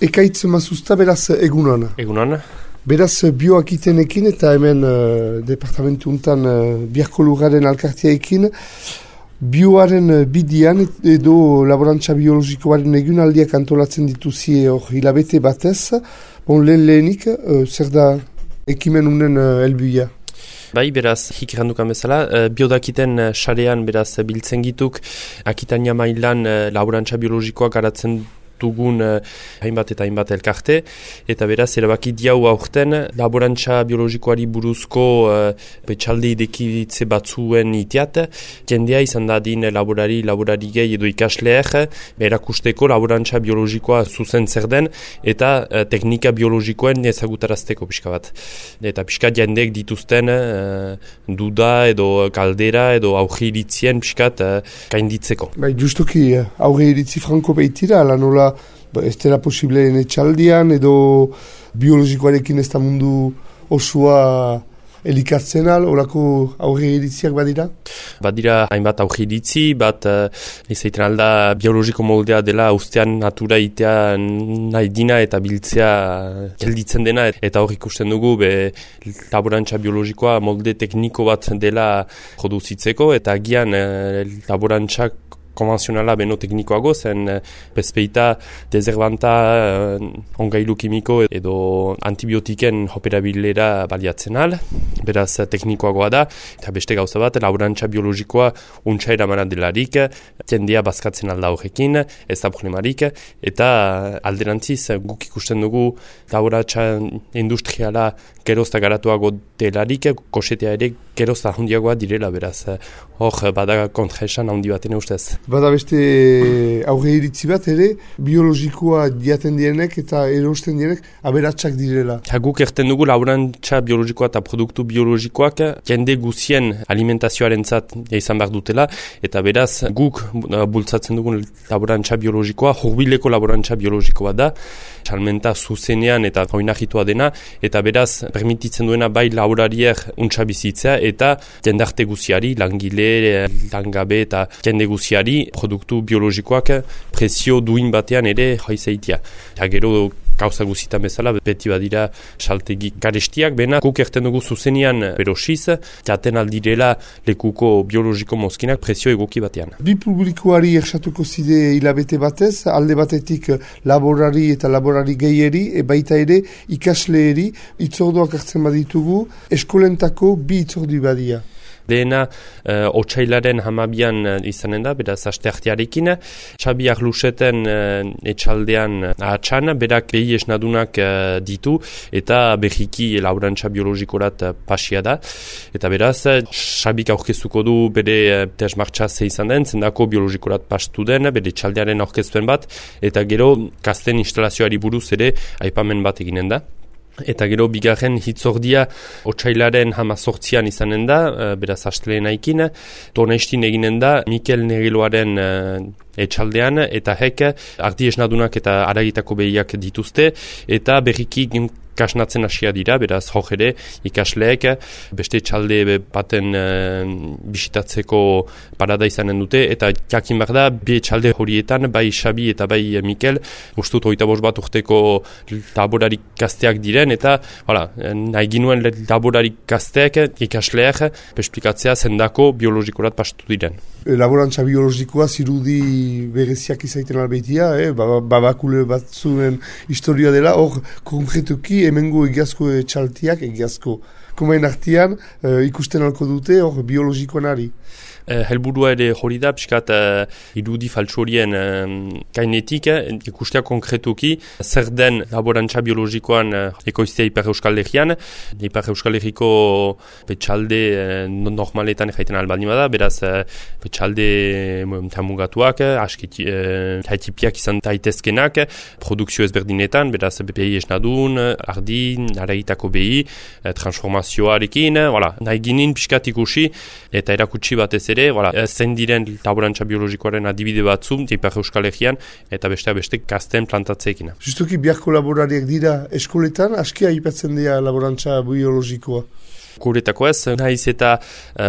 Ekaitz mazuzta, beraz, egunon. Egunon. Beraz, bioakitenekin eta hemen departamentu untan biharko lugaren alkartiaekin, bioaren bidian edo laborantza biologikoaren egunaldiak antolatzen dituzie hor hilabete batez. Lehenik, zer da ekimen unen helbuia? Bai, beraz, hikirandukan bezala, biodakiten sarean beraz biltzen gituk, Akitania mailan laborantza biologikoa garatzen dugun hainbat eta hainbat elkarte, eta beraz, erabaki diau aurten laborantza biologikoari buruzko betxalde idekitze batzuen itiat, jendea izan dadin laborari gehi edo ikasleek, erakusteko laborantza biologikoa zuzen zer den, eta teknika biologikoen ezagutarazteko pixka bat. Eta pixka jendeek dituzten duda edo kaldera edo aurre iritzien pixkat gainditzeko. Bai, justuki aurre iritzi franko behitira, ala nola ez dela posibleen etxaldian edo biologikoarekin ez da mundu osua elikatzen orako aurre iritziak badira? Badira hainbat aurre iritzi, bat izaiten alda biologiko moldea dela ustean natura itea nahi dina eta biltzea gelditzen dena, eta hor ikusten dugu laborantza biologikoa molde tekniko bat dela produzitzeko, eta agian laborantzak konvenzionala beno teknikoago zen bezpeita dezerbanta ongailu kimiko edo antibiotiken operabilera baliatzen al, beraz teknikoagoa da, eta beste gauza bat, laborantza biologikoa untsa eramana delarik, jendea bazkatzen alda horrekin, ez da problemarik, eta alderantziz guk ikusten dugu laborantza industriala gerozta garatuago delarik, kosetea ere gerozta handiagoa direla, beraz hor bada kontraesan handi baten ustez. Bada beste aurre iritzi bat ere, biologikoa jaten dienek eta erosten dienek aberatsak direla. Guk erten dugu laborantza biologikoa eta produktu biologikoak jende guzien alimentazioaren zat izan behar dutela, eta beraz guk bultzatzen dugun laborantza biologikoa, hurbileko laborantza biologikoa da, salmenta zuzenean eta oinahitua dena, eta beraz permititzen duena bai laborariek untsa bizitzea eta jendarte guziari, langile, langabe eta jende guziari produktu biologikoak prezio duin batean ere jaizeitia. Eta gero gauza guzitan bezala, beti badira saltegi garestiak, bena guk erten dugu zuzenean berosiz, jaten aldirela lekuko biologiko mozkinak prezio egoki batean. Bi publikoari ersatuko zide hilabete batez, alde batetik laborari eta laborari gehieri, baita ere ikasleeri, itzordoak hartzen baditugu, eskolentako bi itzordu badia. Dena otsailaren 12 izanen da, beraz asteartearekin. Xabi Arluseten etxaldean ahatsan, berak behi esnadunak ditu, eta berriki laborantza biologikorat pasia da. Eta beraz, Xabik aurkeztuko du bere tesmartxa izan den, zendako biologikorat pastu den, bere etxaldearen aurkezpen bat, eta gero kasten instalazioari buruz ere aipamen bat eginen da. Eta gero bigarren hitzordia otsailaren 18an izanen da, beraz astelehenaikin, Donestin eginen da Mikel Negeloaren etxaldean, eta hek ardi esnadunak eta aragitako behiak dituzte, eta berriki kasnatzen hasia dira, beraz hor ere ikasleek beste etxalde baten bisitatzeko parada izanen dute, eta jakin behar da, bi etxalde horietan, bai Xabi eta bai Mikel, ustut 25 bat urteko laborarik gazteak diren, eta nahi ginuen laborarik gazteak ikasleek esplikatzea zendako biologikorat pastu diren. Laborantza biologikoa zirudi bereziak izaiten albeitia, babakule batzuen historia dela, hor konkretuki hemengo egiazko txaltiak, egiazko komain artian ikusten alko dute hor biologikoan ari. Helburua ere hori da, pixkat irudi faltsu horien gainetik, ikustea konkretuki zer den laborantza biologikoan ekoiztea Ipar Euskal Herrian. Ipar Euskal Herriko petxalde normaletan jaiten albaldin bada, beraz petxalde mugatuak, haitipiak izan daitezkenak, produkzio ezberdinetan, beraz behi esnadun, ardi, aragitako behi, transformazioarekin, nahi ginen pixkat ikusi eta erakutsi batez ere, zein diren laborantza biologikoaren adibide batzu, Ipar Euskal Herrian, eta beste gazten plantatzeekin. Justuki biharko laborariak dira eskoletan, askia aipatzen dira laborantza biologikoa? Guretako ez, nahiz eta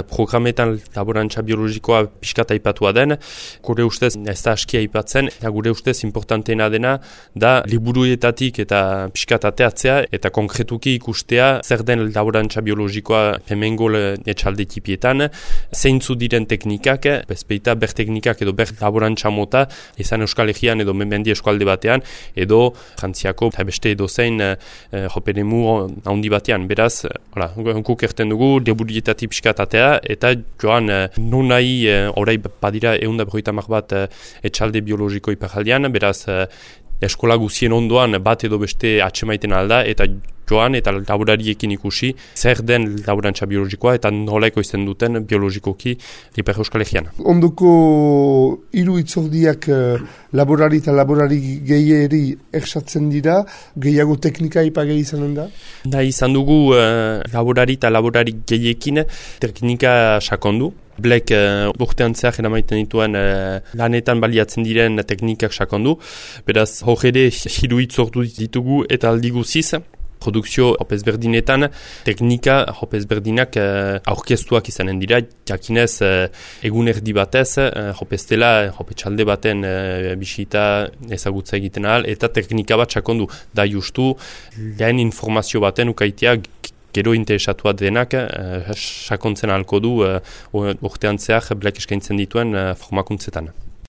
programetan laborantza biologikoa pixkat aipatua den, gure ustez ez da askia aipatzen, eta gure ustez importanteena dena da liburuetatik eta pixkat ateatzea eta konkretuki ikustea zer den laborantza biologikoa hemengo etxalde tipietan, zeintzu diren teknikak, bezpeita ber teknikak edo ber laborantza mota, izan Euskal Herrian edo mendi eskualde batean, edo Frantziako eta beste edo zein joperemu handi batean. Beraz, guk erten dugu, liburuetatik pixkat atea, eta joan non nahi orai badira 150 bat etxalde biologiko iparaldean, beraz eskola guzien ondoan bat edo beste atsemaiten alda, eta joan eta laborariekin ikusi zer den laborantza biologikoa eta nolaiko izan duten biologikoki Ipar Euskal Herrian. Ondoko hiru itzordiak laborari eta laborari gehieri ersatzen dira, gehiago teknika ipage izanen da? Da izan dugu laborari eta laborari gehiekin teknika sakondu. Blek urtean zehar eramaiten dituen lanetan baliatzen diren teknikak sakondu. Beraz, hor ere hiru itzordu ditugu eta aldi guziz. Produkzio hopezberdinetan, teknika hopezberdinak aurkeztuak izanen dira, jakinez egun erdi batez, hopeztela, hopetxalde baten bisita ezagutza egiten ahal, eta teknika bat sakondu da justu, lehen informazio baten ukaitea gero interesatua denak sakontzen ahalko du urtean zehar blek eskaintzen dituen formakuntzetan.